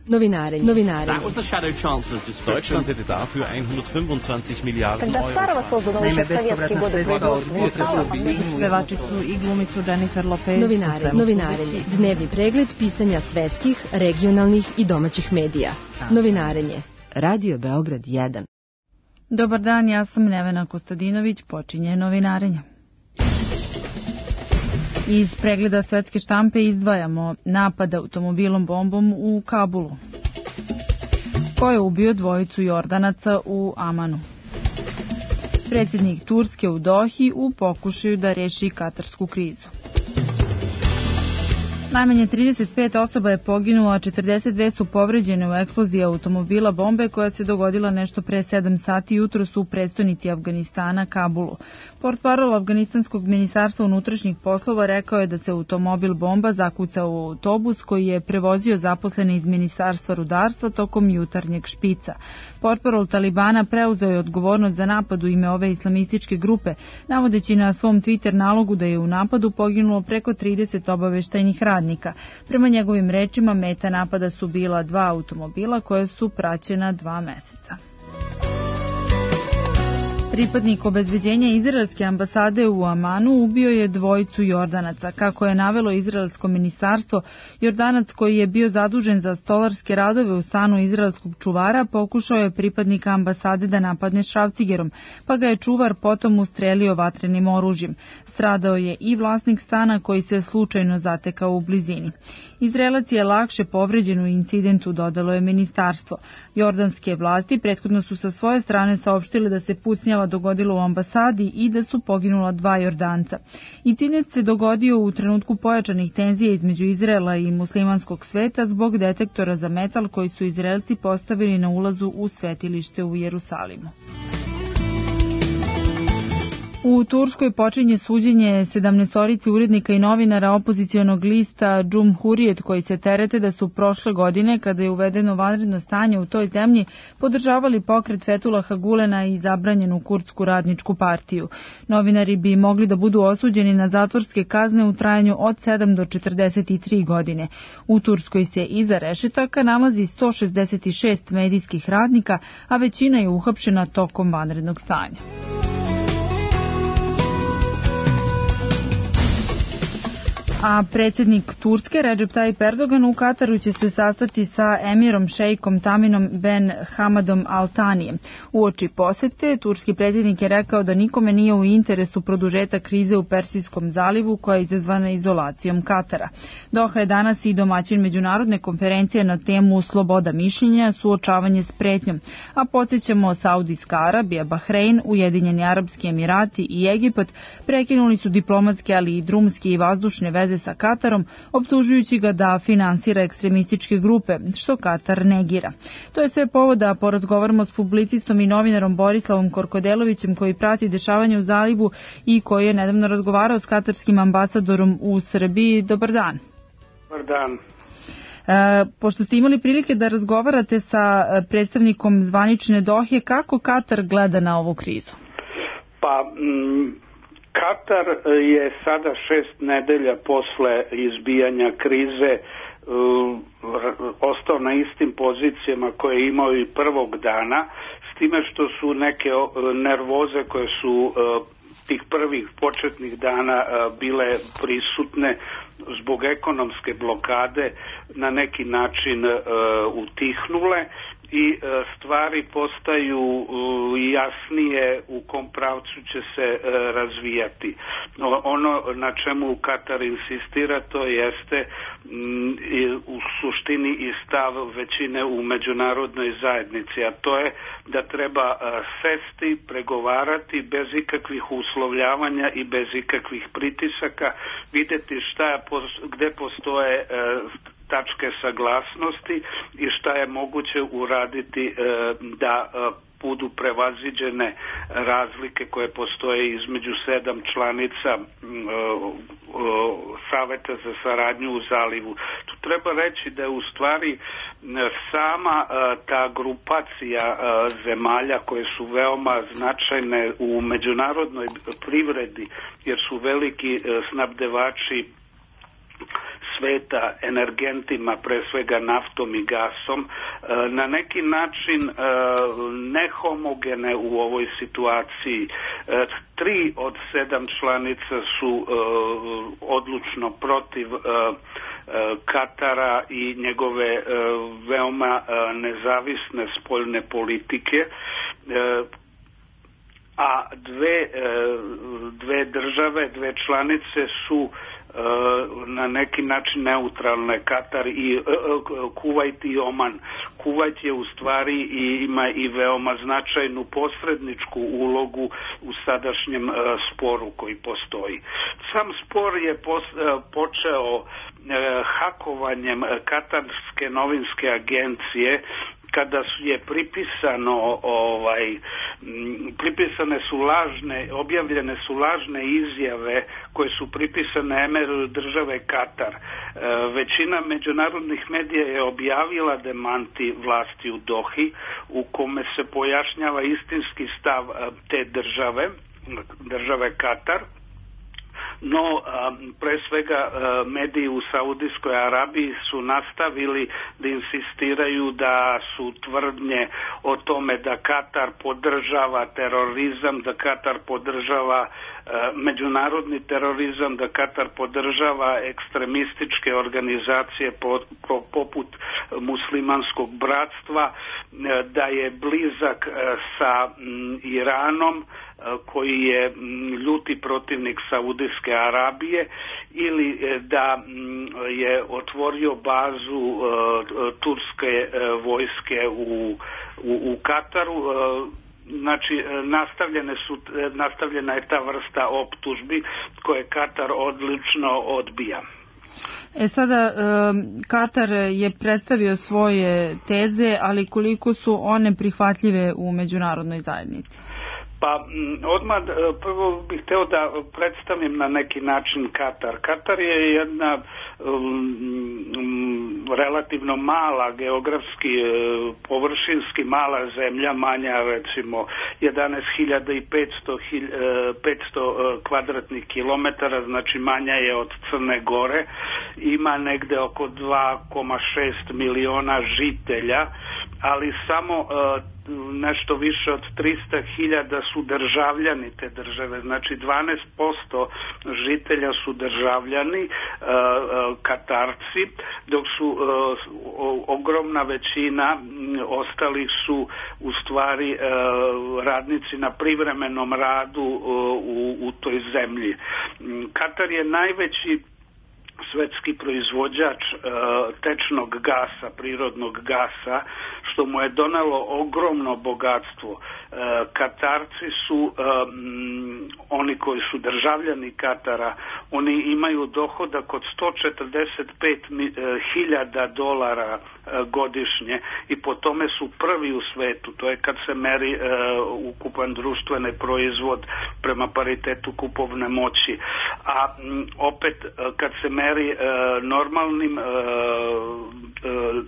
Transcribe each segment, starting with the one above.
That was the shadow chancellor's discussion. Deutschland hätte dafür 125 Milijarden Когда старого создано еще в советские годы производство. Pevačicu i glumicu Jennifer Lopez. Novinarenje. Dnevni pregled pisanja svetskih, regionalnih i domaćih medija. Novinarenje. Radio Beograd 1. Dobar dan, ja sam Nevena Kostadinović, počinje novinarenje. Iz pregleda svetske štampe izdvajamo napad automobilom bombom u Kabulu. Ko je ubio dvojicu Jordanaca u Amanu? Predsjednik Turske u Dohi u pokušaju da reši katarsku krizu. Najmanje 35 osoba je poginulo, a 42 su povređene u eksploziji automobila bombe koja se dogodila nešto pre 7 sati jutros u prestonici Afganistana, Kabulu. Portparol Afganistanskog ministarstva unutrašnjih poslova rekao je da se automobil bomba zakucao u autobus koji je prevozio zaposlene iz ministarstva rudarstva tokom jutarnjeg špica. Portparol Talibana preuzeo je odgovornost za napad u ime ove islamističke grupe, navodeći na svom Twitter nalogu da je u napadu poginulo preko 30 obaveštajnih radnika. Prema njegovim rečima, meta napada su bila 2 automobila koje su praćena 2 meseca. Pripadnik obezbeđenja izraelske ambasade u Amanu ubio je dvojicu Jordanaca. Kako je navelo izraelsko ministarstvo, Jordanac koji je bio zadužen za stolarske radove u stanu izraelskog čuvara pokušao je pripadnika ambasade da napadne šrafcigerom, pa ga je čuvar potom ustrelio vatrenim oružjem. Stradao je i vlasnik stana koji se slučajno zatekao u blizini. Izraelac je lakše povređen u incidentu, dodalo je ministarstvo. Jordanske vlasti prethodno su sa svoje strane saopštile da se pucnjava dogodilo u ambasadi i da su poginula 2 Jordanca. Incident se dogodio u trenutku pojačanih tenzija između Izraela i muslimanskog sveta zbog detektora za metal koji su Izraelci postavili na ulazu u svetilište u Jerusalimu. U Turskoj počinje suđenje 17 urednika i novinara opozicionog lista Cumhuriyet koji se terete da su prošle godine, kada je uvedeno vanredno stanje u toj zemlji, podržavali pokret Fethullaha Gulena i zabranjenu kurdsku radničku partiju. Novinari bi mogli da budu osuđeni na zatvorske kazne u trajanju od 7 do 43 godine. U Turskoj se iza rešetaka nalazi 166 medijskih radnika, a većina je uhapšena tokom vanrednog stanja. A predsjednik Turske Recep Tayyip Erdogan u Kataru će se sastati sa emirom šejkom Taminom Ben Hamadom Al Thanijem. Uoči posete, turski predsjednik je rekao da nikome nije u interesu produžetak krize u Persijskom zalivu koja je izazvana izolacijom Katara. Doha je danas i domaćin međunarodne konferencije na temu sloboda mišljenja, suočavanje s pretnjom. A podsjećamo, Saudijska Arabija, Bahrein, Ujedinjeni Arapski Emirati i Egipat prekinuli su diplomatske, ali i drumske i vazdušne veze sa Katarom, optužujući ga da finansira ekstremističke grupe, što Katar negira. To je sve povod da porazgovaramo s publicistom i novinarom Borislavom Korkodelovićem koji prati dešavanje u zalivu i koji je nedavno razgovarao s katarskim ambasadorom u Srbiji. Dobar dan. Dobar dan. Pošto ste imali prilike da razgovarate sa predstavnikom zvanične Dohe, kako Katar gleda na ovu krizu? Katar je sada 6 nedelja posle izbijanja krize ostao na istim pozicijama koje je imao i prvog dana, s time što su neke nervoze koje su tih prvih početnih dana bile prisutne zbog ekonomske blokade na neki način utihnule i stvari postaju jasnije u kom pravcu će se razvijati. Ono na čemu Katar insistira, to jeste u suštini i stav većine u međunarodnoj zajednici, a to je da treba sesti, pregovarati bez ikakvih uslovljavanja i bez ikakvih pritisaka, vidjeti gde postoje tačke saglasnosti i šta je moguće uraditi da budu prevaziđene razlike koje postoje između 7 članica Saveta za saradnju u zalivu. Tu treba reći da je u stvari sama ta grupacija zemalja koje su veoma značajne u međunarodnoj privredi, jer su veliki snabdevači sveta energentima, pre svega naftom i gasom, na neki način nehomogene u ovoj situaciji. 3 od 7 članica su odlučno protiv Katara i njegove veoma nezavisne spoljne politike, a dve države, 2 članice su na neki način neutralne, Katar i Kuvajt i Oman. Kuvajt je u stvari ima i veoma značajnu posredničku ulogu u sadašnjem sporu koji postoji. Sam spor je počeo hakovanjem katarske novinske agencije, kada je pripisane su objavljene su lažne izjave koje su pripisane emiru države Katar. Većina međunarodnih medija je objavila demanti vlasti u Dohi, u kome se pojašnjava istinski stav te države Katar. No, pre svega mediji u Saudijskoj Arabiji su nastavili da insistiraju da su tvrdnje o tome da Katar podržava terorizam, da Katar podržava međunarodni terorizam, da Katar podržava ekstremističke organizacije poput muslimanskog bratstva, da je blizak sa Iranom, koji je ljuti protivnik Saudijske Arabije, ili da je otvorio bazu turske vojske u Kataru. Znači, nastavljena je ta vrsta optužbi koje Katar odlično odbija. Sada, Katar je predstavio svoje teze, ali koliko su one prihvatljive u međunarodnoj zajednici? Pa odmah prvo bih hteo da predstavim na neki način Katar. Katar je jedna relativno mala, geografski, površinski mala zemlja, manja recimo 11.500 kvadratnih kilometara, znači manja je od Crne Gore, ima negde oko 2,6 miliona žitelja, ali samo nešto više od 300.000 su državljani te države, znači 12% žitelja su državljani Katarci, dok su ogromna većina ostalih su u stvari radnici na privremenom radu u toj zemlji. Katar je najveći svetski proizvođač tečnog gasa, prirodnog gasa, što mu je donelo ogromno bogatstvo. Katarci su oni koji su državljani Katara, oni imaju dohodak od $145.000 godišnje i po tome su prvi u svetu. To je kad se meri ukupan društveni proizvod prema paritetu kupovne moći. A opet kad se meri normalnim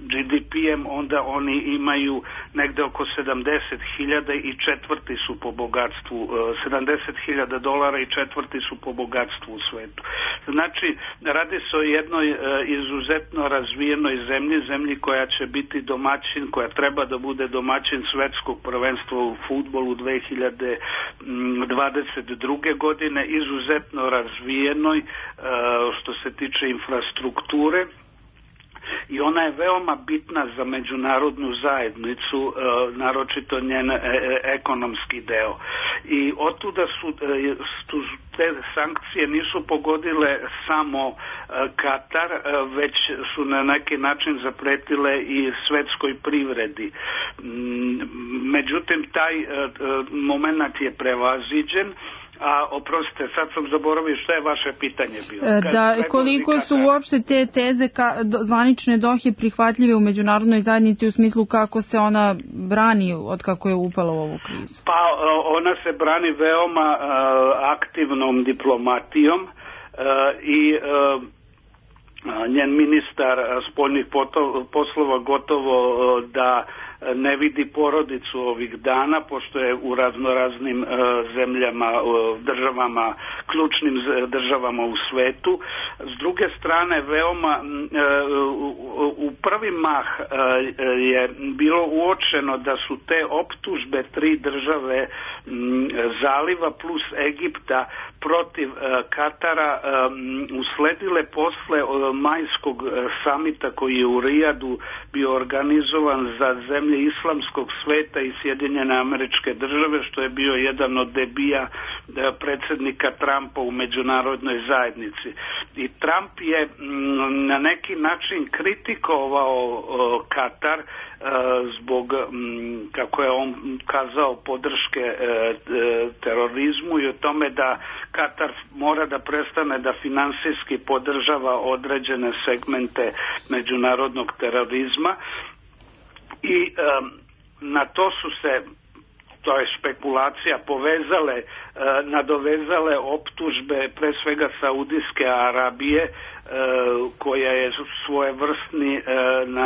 GDP-em, onda oni imaju negde oko 70.000 i četvrti su po bogatstvu, $70.000 i četvrti su po bogatstvu u svetu. Znači, radi se o jednoj izuzetno razvijenoj zemlji koja će biti domaćin, koja treba da bude domaćin svetskog prvenstva u fudbalu 2022. godine, izuzetno razvijenoj što se tiče infrastrukture. I ona je veoma bitna za međunarodnu zajednicu, naročito njen ekonomski deo. I otuda su te sankcije nisu pogodile samo Katar, već su na neki način zapretile i svetskoj privredi. Međutim, taj moment je prevaziđen. A oprostite, sad sam zaboravio što je vaše pitanje bilo. Koliko su uopšte te teze zvanične Dohe prihvatljive u međunarodnoj zajednici u smislu kako se ona brani od kako je upala u ovu krizu? Pa ona se brani veoma aktivnom diplomatijom i njen ministar spoljnih poslova gotovo da ne vidi porodicu ovih dana, pošto je u raznoraznim zemljama, državama, ključnim državama u svetu. S druge strane, veoma u prvi mah je bilo uočeno da su te optužbe 3 države zaliva plus Egipta protiv Katara usledile posle majskog samita koji je u Rijadu bio organizovan za zemlje islamskog sveta i Sjedinjene Američke Države, što je bio jedan od debija predsjednika Trumpa u međunarodnoj zajednici. I Trump je na neki način kritikovao Katar zbog, kako je on kazao, podrške terorizmu i o tome da Katar mora da prestane da finansijski podržava određene segmente međunarodnog terorizma i na to su se, to je špekulacija, nadovezale optužbe pre svega Saudijske Arabije, koja je svojevrsni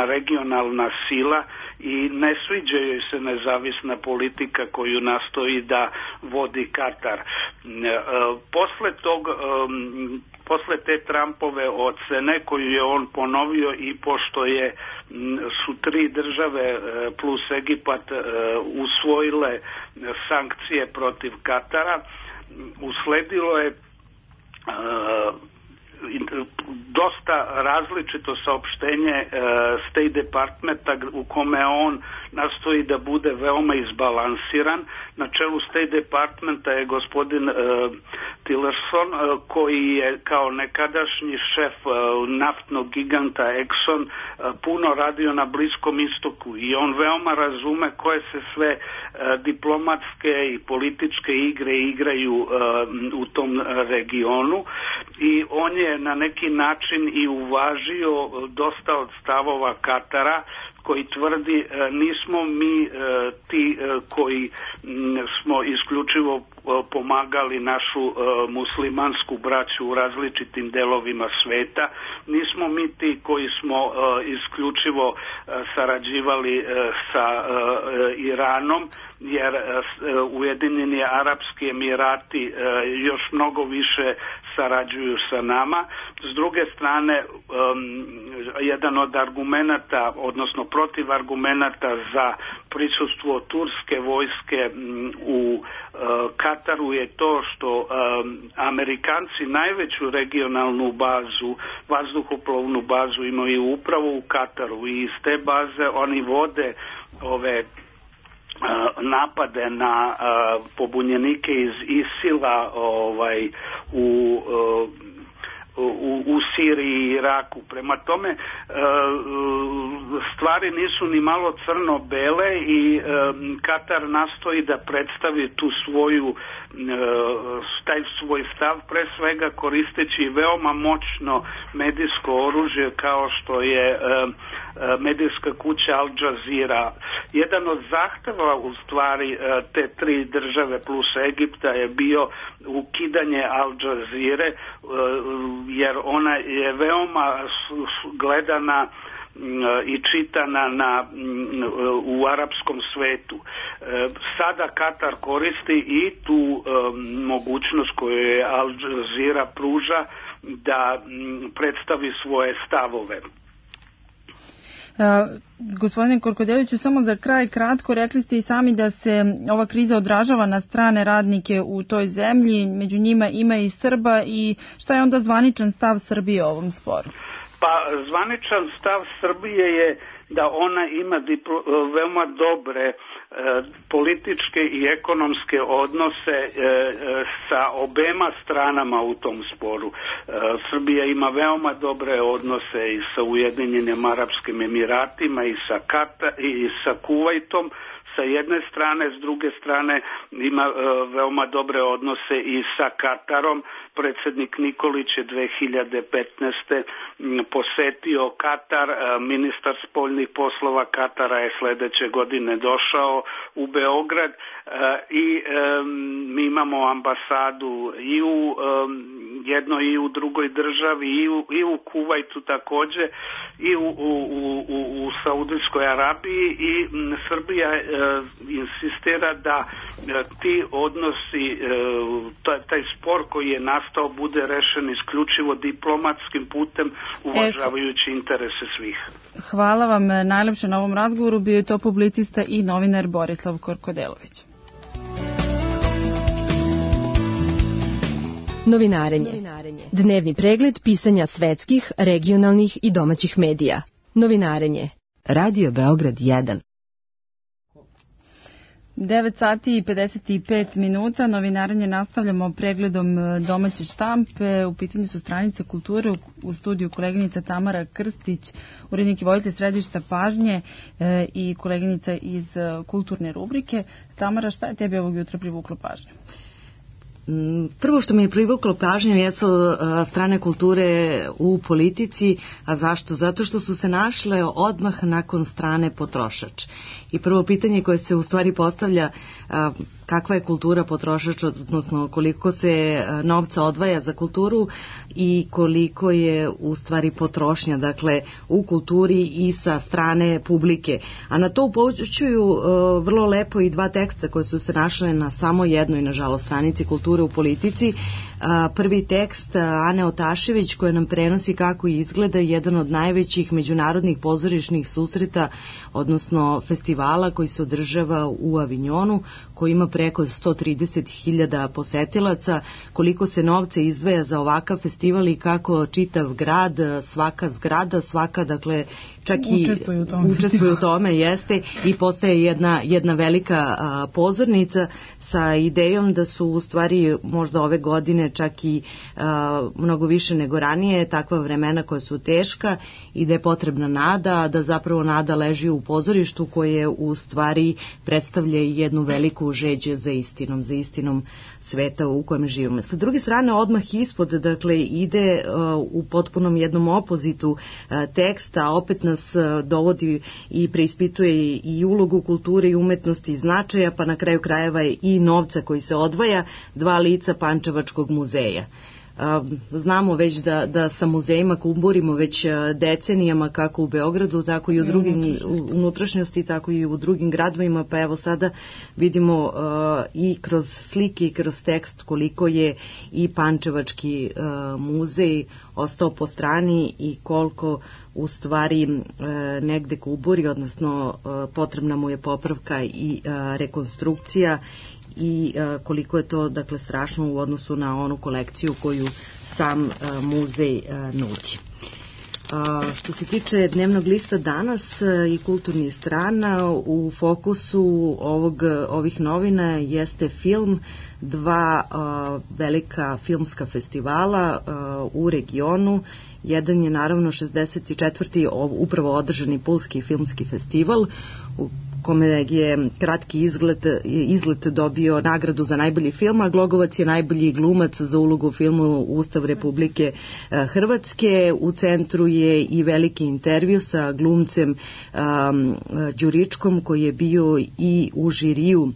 regionalna sila i ne sviđa joj se nezavisna politika koju nastoji da vodi Katar. Posle te Trumpove ocene koju je on ponovio i pošto su 3 države plus Egipat usvojile sankcije protiv Katara, usledilo je dosta različito saopštenje State Departmenta u kome on nastoji da bude veoma izbalansiran. Na čelu State Departmenta je gospodin Tillerson, koji je kao nekadašnji šef naftnog giganta Exxon puno radio na Bliskom istoku i on veoma razume koje se sve diplomatske i političke igre igraju u tom regionu i on je na neki način i uvažio dosta od stavova Katara koji tvrdi nismo mi ti koji smo isključivo pomagali našu muslimansku braću u različitim delovima sveta, nismo mi ti koji smo isključivo sarađivali sa Iranom, jer Ujedinjeni Arapski Emirati još mnogo više sarađuju sa nama. S druge strane, jedan od argumenata, odnosno protiv argumenata za prisustvo turske vojske u Kataru je to što Amerikanci najveću regionalnu bazu, vazduhoplovnu bazu imaju upravo u Kataru i iz te baze oni vode ove napade na pobunjenike iz ISIL-a u Siriji i Iraku. Prema tome, stvari nisu ni malo crno-bele i Katar nastoji da predstavi taj svoj stav, pre svega koristeći veoma moćno medijsko oružje kao što je medijska kuća Al Jazeera. Jedan od zahteva u stvari te 3 države plus Egipta je bio ukidanje Al Jazeere, jer ona je veoma gledana i čitana u arapskom svetu. Sada Katar koristi i tu mogućnost koju je Al Jazeera pruža da predstavi svoje stavove. Gospodine Korkodeviću, samo za kraj kratko, rekli ste i sami da se ova kriza odražava na strane radnike u toj zemlji, među njima ima i Srba, i šta je onda zvaničan stav Srbije o ovom sporu? Pa zvaničan stav Srbije je da ona ima veoma dobre političke i ekonomske odnose sa obema stranama u tom sporu. Srbija ima veoma dobre odnose i sa Ujedinjenim Arapskim Emiratima i sa Kuvajtom sa jedne strane, s druge strane ima veoma dobre odnose i sa Katarom. Predsjednik Nikolić je 2015. posetio Katar, ministar spoljnih spoljnih poslova Katara je sledeće godine došao u Beograd i mi imamo ambasadu i u jednoj i u drugoj državi i u Kuvajtu takođe i u Saudijskoj Arabiji i Srbija insistira da ti odnosi, taj spor koji je nastao bude rešen isključivo diplomatskim putem uvažavajući interese svih. Hvala vam najlepše na ovom razgovoru. Bio je to publicista i novinar Borislav Korkodelović. Novinarenje. Dnevni pregled pisanja svetskih, regionalnih i domaćih medija. Novinarenje. Radio Beograd 1. 9 sati i 55 minuta. Novinarenje nastavljamo pregledom domaće štampe. U pitanju su stranice kulture. U studiju koleginica Tamara Krstić, urednik i voditelj središta Pažnje i koleginica iz kulturne rubrike. Tamara, šta je tebi ovog jutra privuklo pažnju? Prvo što mi je privuklo pažnju jesu strane kulture u politici, a zašto? Zato što su se našle odmah nakon strane potrošač. I prvo pitanje koje se u stvari postavlja, kakva je kultura potrošač, odnosno koliko se novca odvaja za kulturu i koliko je u stvari potrošnja, dakle u kulturi i sa strane publike. A na to upućuju vrlo lepo i dva teksta koje su se našle na samo jednoj, nažalost, stranici kulture u politici. Prvi tekst Ane Otašević koja nam prenosi kako izgleda jedan od najvećih međunarodnih pozorišnih susreta, odnosno festivala koji se održava u Avignonu, koji ima preko 130.000 posetilaca, koliko se novca izdvaja za ovakav festival i kako čitav grad, svaka zgrada, svaka, dakle, čak i učestvuju u tome, jeste, i postaje jedna velika pozornica sa idejom da su u stvari možda ove godine čak i mnogo više nego ranije takva vremena koja su teška i da je potrebna nada, da zapravo nada leži u pozorištu koje u stvari predstavlja jednu veliku žeđ za istinom sveta u kojem živimo. Sa druge strane, odmah ispod, dakle, ide u potpunom jednom opozitu teksta, opet nas dovodi i preispituje i ulogu kulture i umetnosti i značaja, pa na kraju krajeva i novca koji se odvaja, dva lica Pančevačkog muzeja. Znamo već da sa muzejima kumburimo već decenijama, kako u Beogradu, tako i u drugim unutrašnjosti, tako i u drugim gradovima, pa evo sada vidimo i kroz slike i kroz tekst koliko je i Pančevački muzej ostao po strani i koliko u stvari negde kumburi, odnosno potrebna mu je popravka i rekonstrukcija i koliko je to, dakle, strašno u odnosu na onu kolekciju koju sam muzej nudi. Što se tiče dnevnog lista Danas i kulturnih strana, u fokusu ovih novina jeste film, dva velika filmska festivala u regionu. Jedan je naravno 64. upravo održani Pulski filmski festival, u kome je kratki izlet dobio nagradu za najbolji film, a Glogovac je najbolji glumac za ulogu u filmu Ustav Republike Hrvatske. U centru je i veliki intervju sa glumcem Đuričkom, koji je bio i u žiriju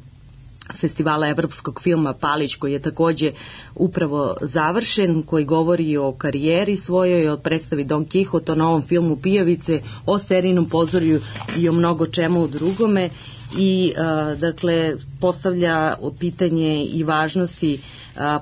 festivala evropskog filma Palić, koji je takođe upravo završen, koji govori o karijeri svojoj, o predstavi Don Kihot, o novom filmu Pijavice, o Sterinom pozorju i o mnogo čemu drugome i dakle postavlja pitanje i važnosti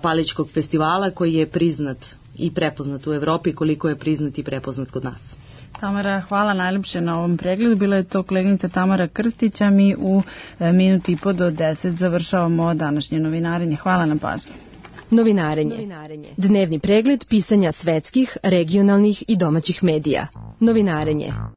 Palićkog festivala koji je priznat i prepoznat u Evropi, koliko je priznat i prepoznat kod nas. Tamara, hvala najljepše na ovom pregledu. Bila je to koleginica Tamara Krstić, a mi u minuti i po do 10 završavamo današnje novinarenje. Hvala na pažnji. Novinarenje. Dnevni pregled pisanja svetskih, regionalnih i domaćih medija. Novinarenje.